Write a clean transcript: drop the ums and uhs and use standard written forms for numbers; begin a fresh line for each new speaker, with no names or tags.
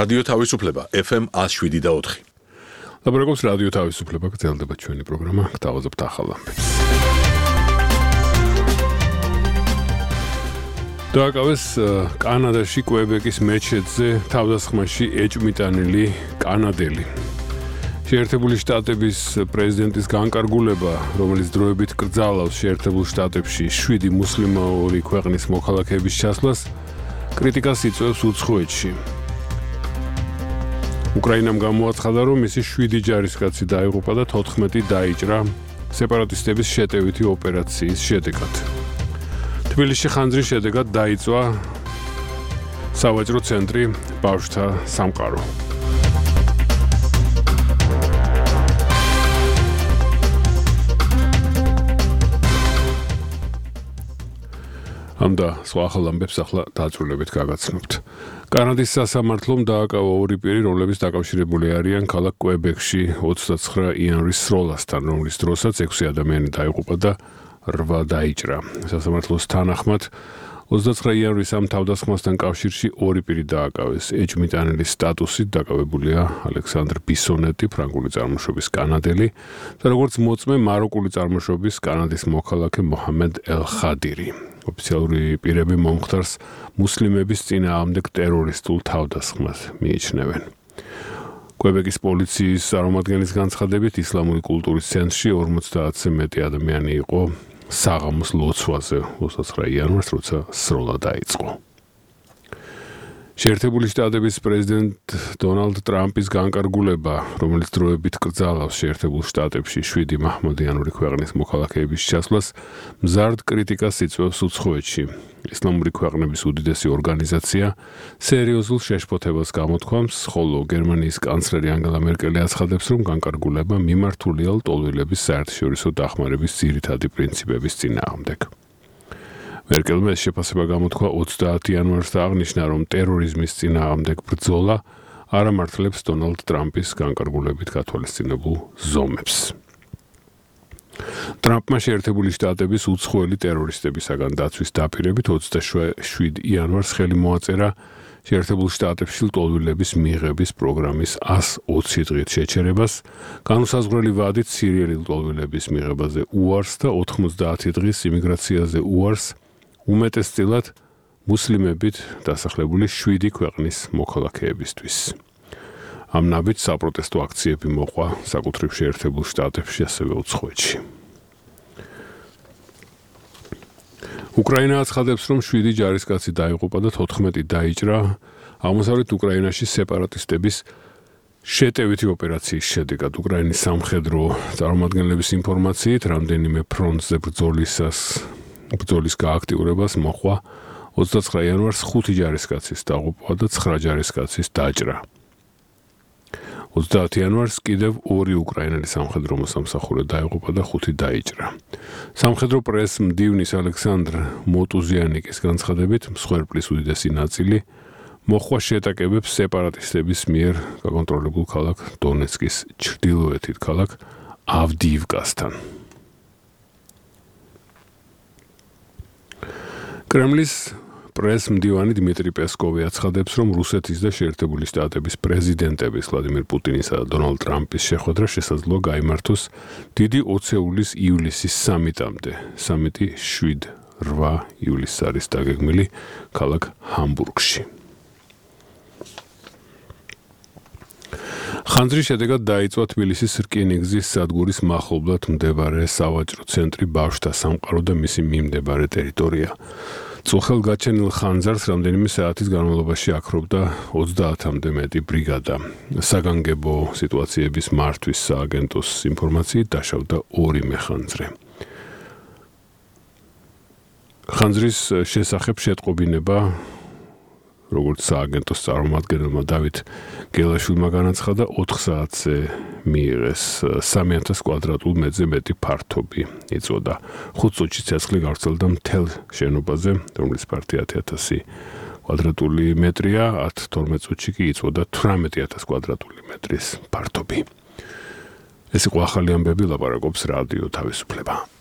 რადიო თავისუფლება FM 107.4.
ლაბორატორიის რადიო თავისუფლება გრძელდება ჩვენი პროგრამა. გთავაზობთ ახალ ამბებს. დააკავეს კანადაში კვებეკის მეჩეთზე თავდასხმაში ეჭვმიტანილი კანადელი. შეერთებული შტატების პრეზიდენტის განკარგულება, რომელიც დროებით კრძალავს შეერთებულ შტატებში 7 მუსლიმური ქვეყნის მოქალაქეების ჩასვლას, კრიტიკას იწვევს უცხოეთში. უკრაინამ გამოაცხადა, რომ მისი 7 ჯარისკაცი დაიღუპა და 14 დაიჭრა სეპარატისტების შეტევითი ოპერაციის შედეგად. თბილისში ხანძრის შედეგად დაიწვა სავაჭრო ცენტრი ბავშვთა სამყარო. ამ და სხვა ახალ ამბებს ახლა დაწვრილებით გაგაცნობთ. კანადის სასამართლომ დააკავა 2 პირი, რომლებიც დაკავშირებული არიან ქალაქ კვებეკში 29 იანვრის სროლასთან, რომლის დროსაც 6 ადამიანი დაიღუპა და 8 დაიჭრა. სასამართლოს თანახმად 29 იანვრის ამ თავდასხმასთან კავშირში 2 პირი დააკავეს. ეჭვმიტანილის სტატუსით დაკავებულია ალექსანდრ ბისონეტი, ფრანგული წარმოშობის კანადელი და როგორც მოწმე მაროკული წარმოშობის კანადის მოქალაქე მოჰამედ ელ-ხადირი. ოფიციალური პირები მომხდარს მუსლიმების წინააღმდეგ ტერორისტულ თავდასხმას მიიჩნევენ. კვებეკის პოლიციის წარმომადგენლის განცხადებით, ისლამური კულტურის ცენტრში 50-ზე მეტი ადამიანი იყო საღამოს ლოცვაზე 29 იანვარს, როცა სროლა დაიწყო. შეერთებული შტატების პრეზიდენტ დონალდ ტრამპის განკარგულება, რომელიც დროებით კრძალავს შეერთებულ შტატებში 7 მაჰმადიანური ქვეყნის მოქალაქეების ჩასვლას, მზარდ კრიტიკას იწვევს უცხოეთში. ისლამური ქვეყნების უდიდესი ორგანიზაცია სერიოზულ შეშფოთებას გამოთქვამს, ხოლო გერმანიის კანცლერი ანგელა მერკელი აცხადებს, რომ განკარგულება მიმართულია ლტოლვილების საერთაშორისო დახმარების ძირითადი პრინციპების წინააღმდეგ. მერკელმა ეს შეფასება გამოთქვა 30 იანვარს და აღნიშნა, რომ ტერორიზმის წინააღმდეგ ბრძოლა არ ამართლებს დონალდ ტრამპის განკარგულებით გათვალისწინებულ ზომებს. ტრამპმა შეერთებული შტატების უცხოელი ტერორისტებისაგან დაცვის დაპირებით 27 იანვარს ხელი მოაწერა შეერთებულ შტატებში ლტოლვილების მიღების პროგრამის 120 დღით შეჩერებას, განუსაზღვრელი ვადით სირიელი ლტოლვილების მიღებაზე უარს და 90 დღის იმიგრაციაზე უარს, უმეტესწილად მუსლიმებით დასახლებული 7 ქვეყნის მოქალაქეებისთვის. ამ ნაბიჯს საპროტესტო აქციები მოყვა საკუთრივ შეერთებულ შტატებში, ასევე უცხოეთში. უკრაინა აცხადებს, რომ 7 ჯარისკაცი დაიღუპა და 14 დაიჭრა აღმოსავლეთ უკრაინაში სეპარატისტების შეტევითი ოპერაციის შედეგად. უკრაინის სამხედრო წარმომადგენლების ინფორმაციით, რამდენიმე ფრონტზე ბრძოლის გააქტიურებას მოყვა 29 იანვარს 5 ჯარისკაცის დაღუპვა და 9 ჯარისკაცის დაჭრა. 30 იანვარს კიდევ 2 უკრაინელი სამხედრო მოსამსახურე დაიღუპა და 5 დაიჭრა. სამხედრო პრესს მდივნის ალექსანდრ მოტუზიანიკის განცხადებით, მსხვერპლის უდიდესი ნაწილი მოხვა შეტაკებებს სეპარატისტების მიერ გაკონტროლებულ ქალაქ დონეცკის ჩრდილოეთით ქალაქ ავდიივკასთან. კრემლის პრესს მდივანი დიმიტრი პესკოვი აცხადებს, რომ რუსეთის და შეერთებული შტატების პრეზიდენტების ვლადიმირ პუტინისა და დონალდ ტრამპის შეხვედრა შესაძლოა გაიმართოს დიდი ოცეულის ივლისის სამიტამდე. სამიტი 7-8 ივლისს არის დაგეგმილი ქალაქ ჰამბურგში. ხანძრის შედეგად დაიწვა თბილისის რკინიგზის სადგურის მახლობლად მდებარე სავაჭრო ცენტრი ბავშვთა სამყარო და მისი მიმდებარე ტერიტორია. წუხელგაჩენილ ხანძარს რამდენიმე საათის განმავლობაში აქრობდა 30-მდე მეტი ბრიგადა. საგანგებო სიტუაციების მართვის სააგენტოს ინფორმაციით დაშავდა 2 მეხანძრე. ხანძრის შესახებ შეტყობინება, როგორც სააგენტოს წარმომადგენელმა დავით გელაშვილმა განაცხადა, 4 საათზე მიიღეს 3000 კვადრატულ მეტრზე მეტი ფართობი იწოდა. 5 წუთში ცეცხლი გავრცელდა მთელ შენობაზე, რომლის ფართი 10000 კვადრატული მეტრია, 10-12 წუთში კი იწოდა 18000 კვადრატული მეტრის ფართობი. ეს იყო ახალი ამბები, ლაპარაკობს რადიო თავისუფლება.